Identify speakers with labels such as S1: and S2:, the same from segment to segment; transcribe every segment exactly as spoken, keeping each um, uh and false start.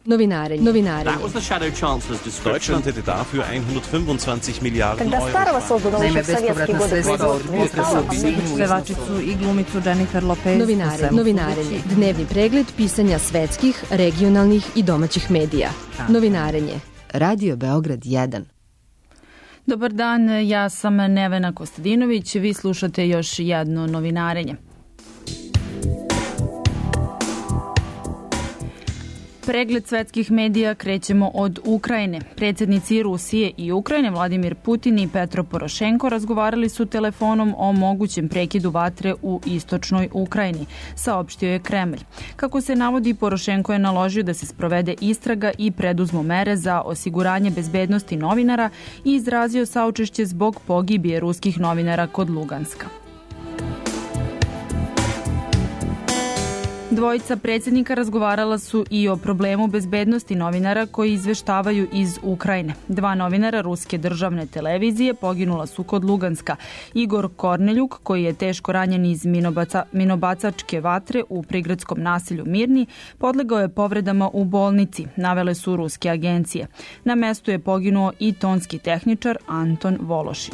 S1: Novinarenje. Novinarenje.
S2: Deutschland hätte dafür hundertfünfundzwanzig Milliarden Euro.
S3: Naime, bespovratna sredstva od
S4: pevačicu i glumicu Jennifer Lopez.
S1: Novinarenje. Novinarenje. Dnevni pregled pisanja svetskih, regionalnih i domaćih medija. Novinarenje. Radio Beograd jedan.
S4: Dobar dan, ja sam Nevena Kostadinović, vi slušate još jedno novinarenje. Pregled svetskih medija krećemo od Ukrajine. Predsjednici Rusije i Ukrajine Vladimir Putin i Petro Porošenko razgovarali su telefonom o mogućem prekidu vatre u istočnoj Ukrajini, saopštio je Kremlj. Kako se navodi, Porošenko je naložio da se sprovede istraga i preduzmu mere za osiguranje bezbednosti novinara i izrazio saučešće zbog pogibije ruskih novinara kod Luganska. Dvojica predsjednika razgovarala su i o problemu bezbednosti novinara koji izveštavaju iz Ukrajine. Dva novinara ruske državne televizije poginula su kod Luganska. Igor Korneljuk, koji je teško ranjen iz minobaca, minobacačke vatre u prigradskom naselju Mirni, podlegao je povredama u bolnici, navele su ruske agencije. Na mestu je poginuo i tonski tehničar Anton Vološin.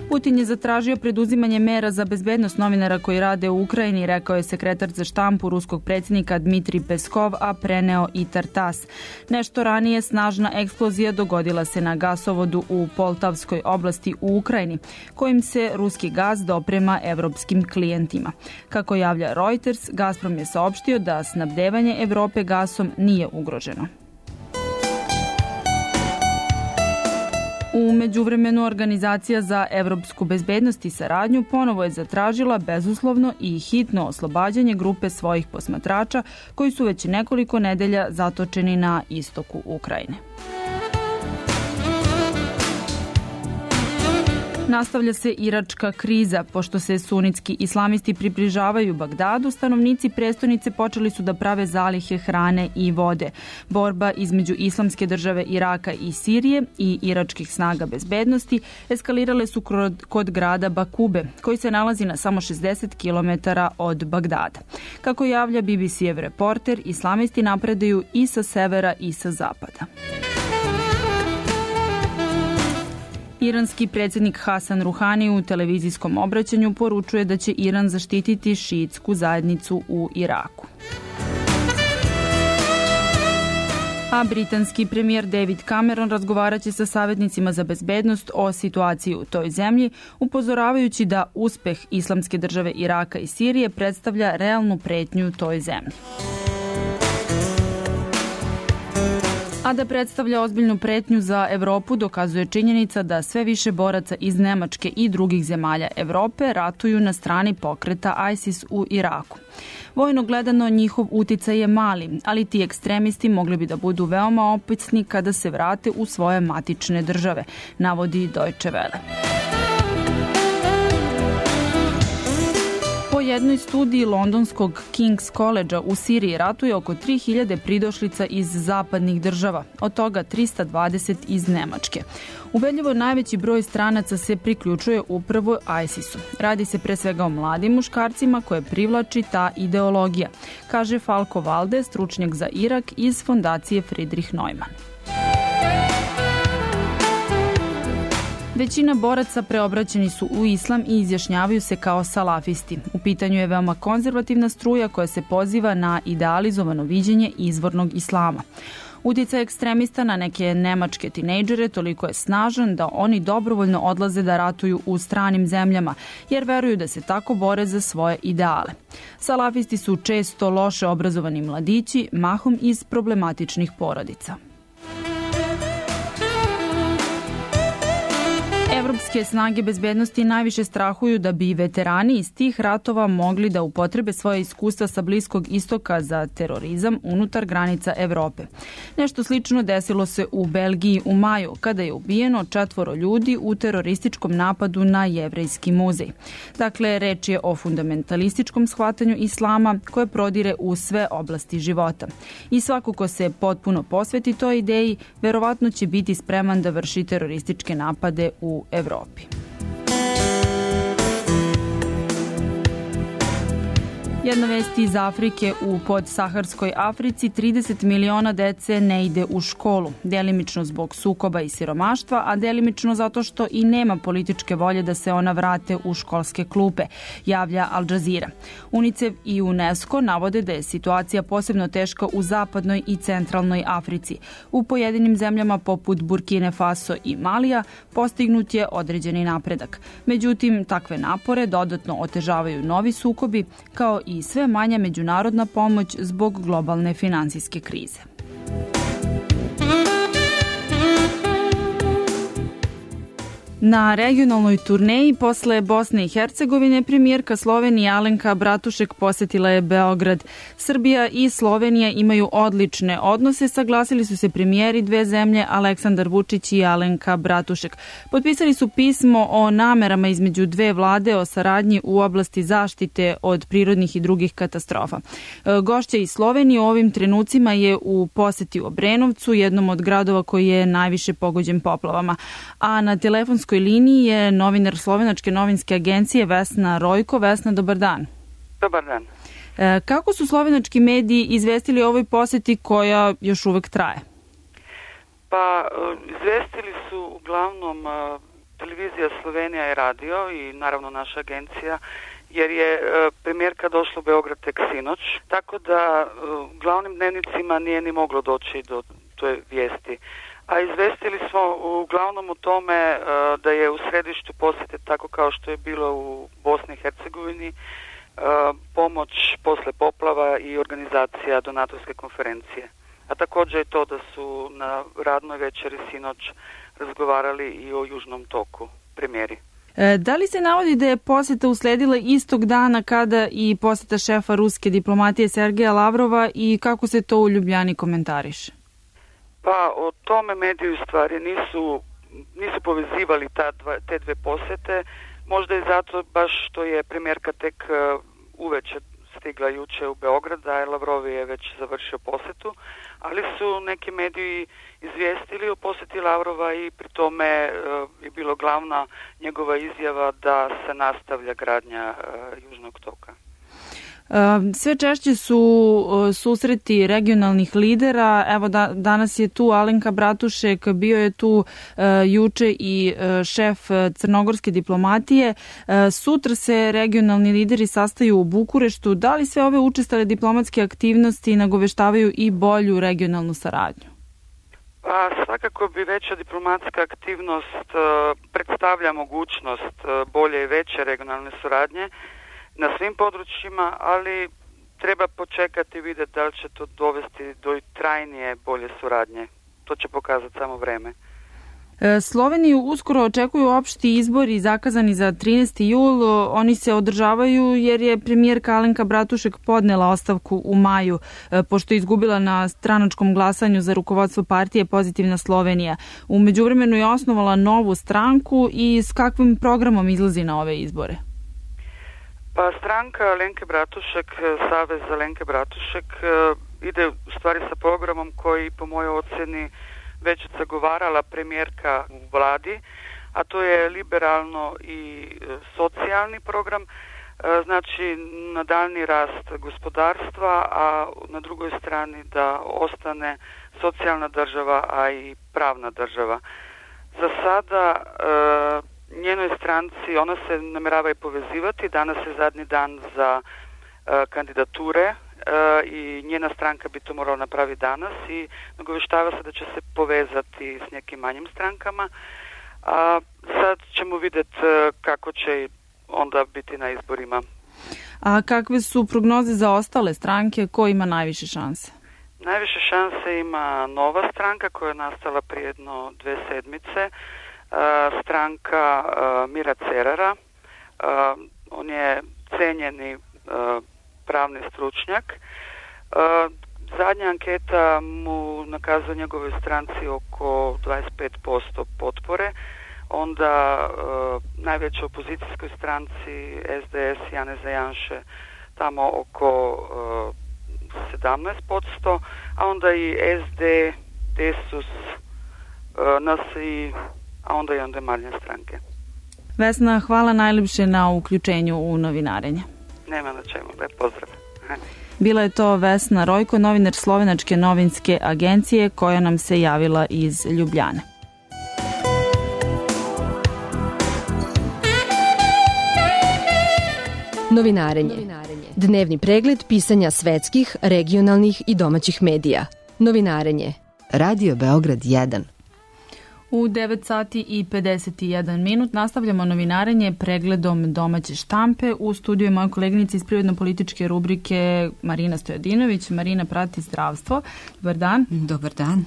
S4: Putin je zatražio preduzimanje mera za bezbednost novinara koji rade u Ukrajini, rekao je sekretar za štampu ruskog predsjednika Dmitrij Peskov, a preneo i Tartas. Nešto ranije snažna eksplozija dogodila se na gasovodu u Poltavskoj oblasti u Ukrajini, kojim se ruski gas doprema evropskim klijentima. Kako javlja Reuters, Gazprom je saopštio da snabdevanje Evrope gasom nije ugroženo. U međuvremenu Organizacija za evropsku bezbednost i saradnju ponovo je zatražila bezuslovno i hitno oslobađanje grupe svojih posmatrača koji su već nekoliko nedelja zatočeni na istoku Ukrajine. Nastavlja se iračka kriza. Pošto se sunitski islamisti približavaju Bagdadu, stanovnici prestonice počeli su da prave zalihe hrane i vode. Borba između islamske države Iraka i Sirije i iračkih snaga bezbednosti eskalirale su kod grada Bakube, koji se nalazi na samo šezdeset kilometara od Bagdada. Kako javlja B B C-ev reporter, islamisti napredaju i sa severa i sa zapada. Iranski predsjednik Hasan Ruhani u televizijskom obraćanju poručuje da će Iran zaštititi šiitsku zajednicu u Iraku. A britanski premijer David Cameron razgovarat će sa savjetnicima za bezbednost o situaciji u toj zemlji, upozoravajući da uspeh islamske države Iraka i Sirije predstavlja realnu pretnju toj zemlji. A da predstavlja ozbiljnu pretnju za Evropu dokazuje činjenica da sve više boraca iz Nemačke i drugih zemalja Evrope ratuju na strani pokreta ISIS u Iraku. Vojno gledano njihov uticaj je mali, ali ti ekstremisti mogli bi da budu veoma opasni kada se vrate u svoje matične države, navodi Deutsche Welle. Po jednoj studiji londonskog King's College u Siriji ratuje oko tri hiljade pridošlica iz zapadnih država, od toga trista dvadeset iz Nemačke. Ubedljivo najveći broj stranaca se priključuje upravo ISIS-u. Radi se pre svega o mladim muškarcima koje privlači ta ideologija, kaže Falko Valde, stručnjak za Irak iz fondacije Friedrich Neumann. Većina boraca preobraćeni su u islam i izjašnjavaju se kao salafisti. U pitanju je veoma konzervativna struja koja se poziva na idealizovano viđenje izvornog islama. Uticaj ekstremista na neke nemačke tinejdžere toliko je snažan da oni dobrovoljno odlaze da ratuju u stranim zemljama, jer veruju da se tako bore za svoje ideale. Salafisti su često loše obrazovani mladići, mahom iz problematičnih porodica. Evropske snage bezbednosti najviše strahuju da bi veterani iz tih ratova mogli da upotrebe svoje iskustva sa Bliskog istoka za terorizam unutar granica Evrope. Nešto slično desilo se u Belgiji u maju, kada je ubijeno četvoro ljudi u terorističkom napadu na Jevrejski muzej. Dakle, reč je o fundamentalističkom shvatanju islama koje prodire u sve oblasti života. I svako ko se potpuno posveti toj ideji, verovatno će biti spreman da vrši terorističke napade u Evropi. Jedna vest iz Afrike. U podsaharskoj Africi trideset miliona dece ne ide u školu, delimično zbog sukoba i siromaštva, a delimično zato što i nema političke volje da se ona vrate u školske klupe, javlja Al Jazeera. UNICEF i UNESCO navode da je situacija posebno teška u zapadnoj i centralnoj Africi. U pojedinim zemljama poput Burkine Faso i Malija postignut je određeni napredak. Međutim, takve napore dodatno otežavaju novi sukobi, kao i sve manja međunarodna pomoć zbog globalne finansijske krize. Na regionalnoj turneji posle Bosne i Hercegovine premijerka Slovenije Alenka Bratušek posetila je Beograd. Srbija i Slovenija imaju odlične odnose, saglasili su se premijeri dve zemlje Aleksandar Vučić i Alenka Bratušek. Potpisali su pismo o namerama između dve vlade o saradnji u oblasti zaštite od prirodnih i drugih katastrofa. Gošća iz Slovenije u ovim trenucima je u poseti u Obrenovcu, jednom od gradova koji je najviše pogođen poplavama. A na telefonskoj liniji je novinar Slovenačke novinske agencije Vesna Rojko. Vesna, dobar dan.
S5: Dobar dan.
S4: E, kako su slovenački mediji izvestili o ovoj poseti koja još uvek traje?
S5: Pa, izvestili su uglavnom televizija Slovenija i radio i naravno naša agencija, jer je premijerka došla u Beograd tek sinoć, tako da u glavnim dnevnicima nije ni moglo doći do toj vijesti. A izvestili smo uglavnom o tome da je u središtu posjete, tako kao što je bilo u Bosni i Hercegovini, pomoć posle poplava i organizacija donatorske konferencije. A također je to da su na radnoj večeri sinoć razgovarali i o Južnom toku, premijeri.
S4: Da li se navodi da je posjeta usledila istog dana kada i posjeta šefa ruske diplomatije Sergeja Lavrova i kako se to u Ljubljani komentariše?
S5: Pa o tome mediji u stvari nisu, nisu povezivali ta dva, te dve posjete, možda i zato baš što je premijerka tek uveče stigla juče u Beograd, a Lavrov je već završio posjetu, ali su neki mediji izvijestili o posjeti Lavrova i pri tome je bilo glavna njegova izjava da se nastavlja gradnja Južnog toka.
S4: Sve češće su susreti regionalnih lidera. Evo da, danas je tu Alenka Bratušek, bio je tu uh, juče i uh, šef crnogorske diplomatije. Uh, sutra se regionalni lideri sastaju u Bukureštu. Da li sve ove učestale diplomatske aktivnosti nagoveštavaju i bolju regionalnu saradnju?
S5: Pa svakako bi veća diplomatska aktivnost uh, predstavlja mogućnost uh, bolje i veće regionalne suradnje na svim područjima, ali treba počekati i vidjeti da li će to dovesti do trajnije bolje suradnje. To će pokazati samo vreme.
S4: Sloveniju uskoro očekuju opšti izbori zakazani za trinaesti jul. Oni se održavaju jer je premijerka Alenka Bratušek podnela ostavku u maju, pošto je izgubila na stranačkom glasanju za rukovodstvo partije Pozitivna Slovenija. U međuvremenu je osnovala novu stranku i s kakvim programom izlazi na ove izbore?
S5: Pa stranka Alenke Bratušek, Savez Alenke Bratušek, ide u stvari sa programom koji po mojoj ocjeni već zagovarala premijerka u vladi, a to je liberalno i socijalni program, znači nadaljni rast gospodarstva, a na drugoj strani da ostane socijalna država, a i pravna država. Za sada njenoj stranci, ona se namjerava i povezivati, danas je zadnji dan za uh, kandidature uh, i njena stranka bi to morala napraviti danas i nagoveštava se da će se povezati s nekim manjim strankama. A sad ćemo vidjeti uh, kako će onda biti na izborima.
S4: A kakve su prognoze za ostale stranke? Ko ima najviše šanse?
S5: Najviše šanse ima nova stranka koja je nastala prije jedno dve sedmice. Uh, stranka uh, Mira Cerara. Uh, on je cenjeni uh, pravni stručnjak. Uh, zadnja anketa mu nakazuje njegovoj stranci oko dvadeset pet posto potpore. Onda uh, najvećoj opozicijskoj stranci S D S Janeza Janše tamo oko uh, sedamnaest posto, a onda i S D, Desus, uh, N S I, a onda i onda marnje stranke.
S4: Vesna, hvala najljepše na uključenju u novinarenje.
S5: Nema na čemu, lep pozdrav.
S4: Bila je to Vesna Rojko, novinar Slovenačke novinske agencije, koja nam se javila iz Ljubljane.
S1: Novinarenje. Dnevni pregled pisanja svetskih, regionalnih i domaćih medija. Novinarenje. Radio Beograd jedan.
S4: U devet sati i pedeset jedan minut nastavljamo novinarenje pregledom domaće štampe. U studiju je moja koleginica iz privredno-političke rubrike Marina Stojadinović. Marina prati zdravstvo. Dobar dan.
S6: Dobar dan.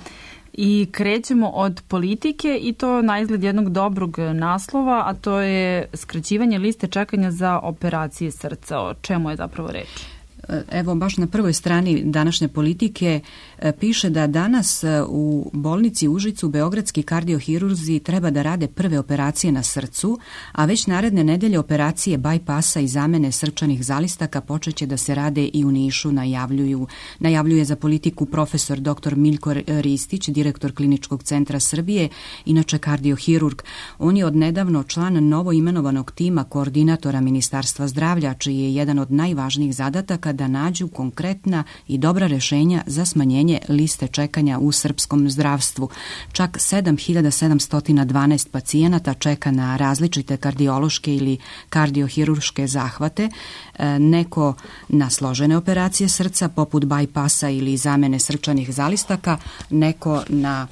S4: I krećemo od politike i to na izgled jednog dobrog naslova, a to je skraćivanje liste čekanja za operacije srca. O čemu je zapravo reč?
S6: Evo, baš na prvoj strani današnje Politike piše da danas u bolnici Užicu beogradski kardiohirurzi treba da rade prve operacije na srcu, a već naredne nedelje operacije bajpasa i zamene srčanih zalistaka počeće da se rade i u Nišu, najavljuju, najavljuje za Politiku profesor doktor Miljko Ristić, direktor Kliničkog centra Srbije, inače kardiohirurg. On je odnedavno član novo imenovanog tima koordinatora Ministarstva zdravlja, čiji je jedan od najvažnijih zadataka da nađu konkretna i dobra rešenja za smanjenje liste čekanja u srpskom zdravstvu. Čak sedam hiljada sedamsto dvanaest pacijenata čeka na različite kardiološke ili kardiohirurške zahvate, neko na složene operacije srca poput bajpasa ili zamene srčanih zalistaka, neko na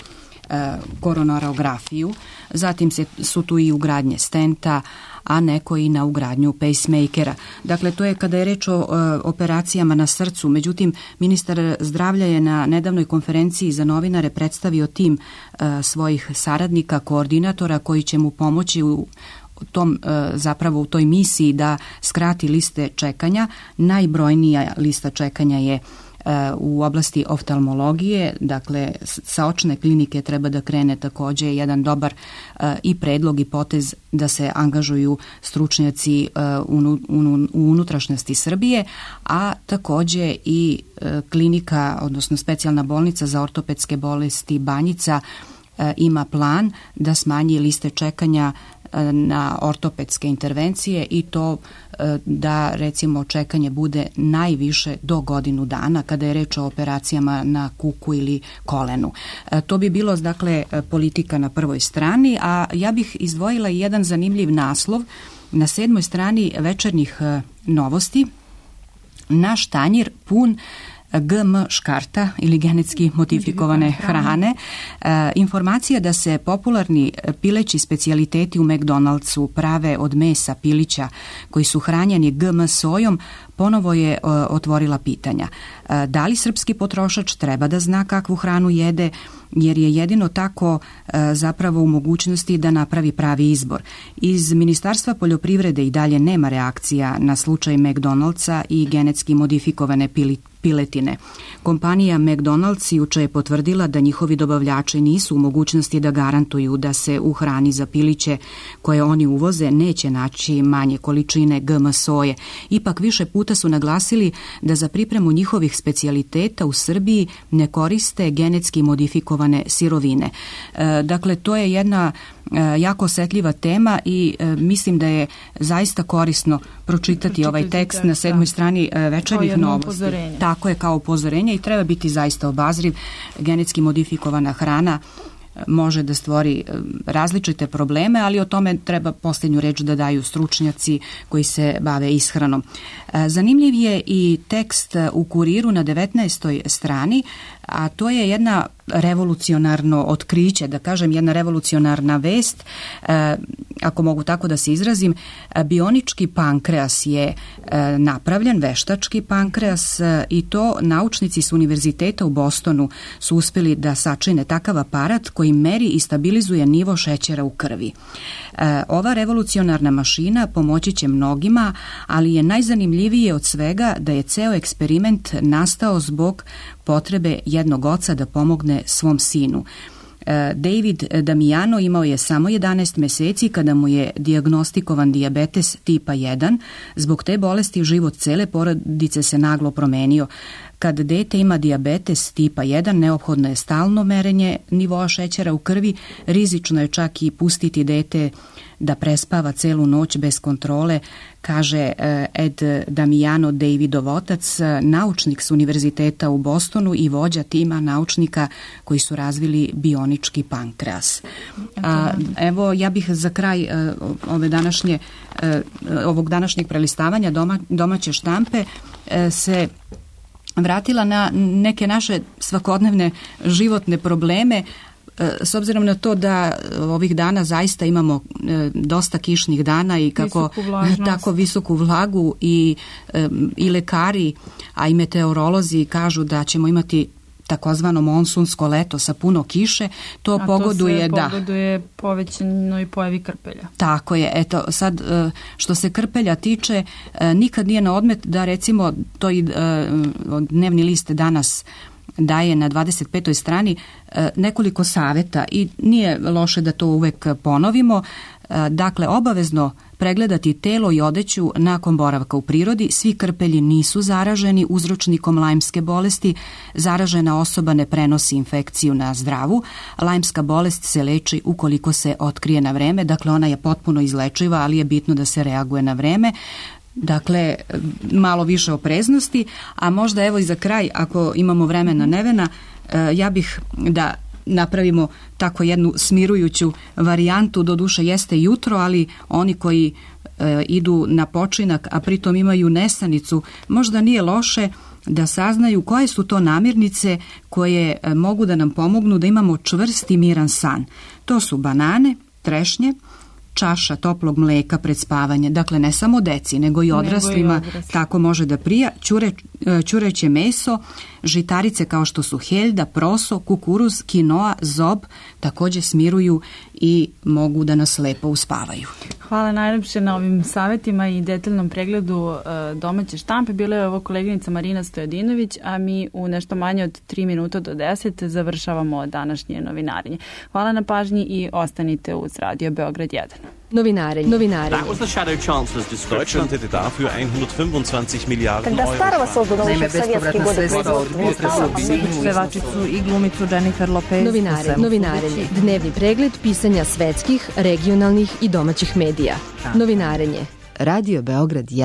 S6: koronarografiju, zatim se, su tu i ugradnje stenta, a neko i na ugradnju pacemakera. Dakle, to je kada je reč o e, operacijama na srcu. Međutim, ministar zdravlja je na nedavnoj konferenciji za novinare predstavio tim e, svojih saradnika, koordinatora koji će mu pomoći u tom, e, zapravo u toj misiji da skrati liste čekanja. Najbrojnija lista čekanja je u oblasti oftalmologije, dakle sa očne klinike treba da krene također jedan dobar uh, i predlog i potez da se angažuju stručnjaci uh, u, u, u unutrašnjosti Srbije, a također i uh, klinika, odnosno specijalna bolnica za ortopedske bolesti Banjica uh, ima plan da smanji liste čekanja na ortopedske intervencije i to da recimo čekanje bude najviše do godinu dana kada je reč o operacijama na kuku ili kolenu. To bi bilo dakle Politika na prvoj strani, a ja bih izdvojila jedan zanimljiv naslov na sedmoj strani Večernjih novosti. Naš tanjir pun G M škarta ili genetski modifikovane hrane. E, informacija da se popularni pileći specijaliteti u McDonald'su prave od mesa pilića koji su hranjeni G M sojom ponovo je e, otvorila pitanja. E, da li srpski potrošač treba da zna kakvu hranu jede, jer je jedino tako e, zapravo u mogućnosti da napravi pravi izbor. Iz Ministarstva poljoprivrede i dalje nema reakcija na slučaj McDonald'sa i genetski modifikovane pili, piletine. Kompanija McDonald's juče je potvrdila da njihovi dobavljači nisu u mogućnosti da garantuju da se u hrani za piliće koje oni uvoze neće naći manje količine G M soje. Ipak više puta su naglasili da za pripremu njihovih specijaliteta u Srbiji ne koriste genetski modifikovane sirovine. E, dakle, to je jedna e, jako osetljiva tema i e, mislim da je zaista korisno pročitati, pročitati ovaj tekst tekst na sedmoj strani e, Večernjih novosti. Upozorenje. Tako je, kao upozorenje, i treba biti zaista obazriv. Genetski modifikovana hrana može da stvori različite probleme, ali o tome treba posljednju reč da daju stručnjaci koji se bave ishranom. Zanimljiv je i tekst u Kuriru na devetnaestoj strani, a to je jedna revolucionarno otkriće, da kažem jedna revolucionarna vest, e, ako mogu tako da se izrazim. Bionički pankreas je e, napravljen, veštački pankreas, e, i to naučnici s univerziteta u Bostonu su uspjeli da sačine takav aparat koji meri i stabilizuje nivo šećera u krvi. E, ova revolucionarna mašina pomoći će mnogima, ali je najzanimljivije od svega da je ceo eksperiment nastao zbog potrebe jednog oca da pomogne svom sinu. David Damiano imao je samo jedanaest meseci kada mu je dijagnostikovan dijabetes tipa jedan. Zbog te bolesti život cele porodice se naglo promenio. Kad dete ima dijabetes tipa jedan, neophodno je stalno merenje nivoa šećera u krvi, rizično je čak i pustiti dete da prespava celu noć bez kontrole, kaže Ed Damiano, Davidov otac, naučnik s univerziteta u Bostonu i vođa tima naučnika koji su razvili bionički pankreas. A, evo, ja bih za kraj ove današnje, ovog današnjeg prelistavanja doma, domaće štampe se vratila na neke naše svakodnevne životne probleme, s obzirom na to da ovih dana zaista imamo dosta kišnih dana i kako tako visoku vlagu i, i lekari, a i meteorolozi kažu da ćemo imati takozvano monsunsko leto sa puno kiše, to
S4: a
S6: pogoduje
S4: to
S6: da
S4: pogoduje povećanoj pojavi krpelja.
S6: Tako je. Eto, sad što se krpelja tiče, nikad nije na odmet da recimo to i dnevni list danas daje na dvadeset petoj strani nekoliko savjeta i nije loše da to uvek ponovimo. Dakle, obavezno pregledati telo i odeću nakon boravka u prirodi. Svi krpelji nisu zaraženi uzročnikom lajmske bolesti. Zaražena osoba ne prenosi infekciju na zdravu. Lajmska bolest se leči ukoliko se otkrije na vreme. Dakle, ona je potpuno izlečiva, ali je bitno da se reaguje na vreme. Dakle, malo više opreznosti, a možda evo i za kraj, ako imamo vremena Nevena, ja bih da napravimo tako jednu smirujuću varijantu, doduše jeste jutro, ali oni koji e, idu na počinak, a pritom imaju nesanicu, možda nije loše da saznaju koje su to namirnice koje e, mogu da nam pomognu da imamo čvrst i miran san. To su banane, trešnje, čaša toplog mleka pred spavanje, dakle ne samo deci, nego i odraslima, nego i odrasli. Tako može da prija, Ćure, ćureće meso, žitarice kao što su heljda, proso, kukuruz, kinoa, zob, također smiruju i mogu da nas lepo uspavaju.
S4: Hvala najlepše na ovim savjetima i detaljnom pregledu domaće štampe. Bila je ovo koleginica Marina Stojadinović, a mi u nešto manje od tri minuta do deset završavamo današnje novinarenje. Hvala na pažnji i ostanite uz Radio Beograd jedan.
S1: Novinarenje. Novinarenje.
S2: That was the Shadow Chancellor's description. Deutschland hätte dafür hundertfünfundzwanzig Milliarden
S3: Когда старого создано еще в советские годы
S4: Pevačicu i glumicu Jennifer Lopez.
S1: Novinarenje. Novinarenje. Dnevni pregled pisanja svetskih, regionalnih i domaćih medija. Novinarenje. Radio Beograd jedan.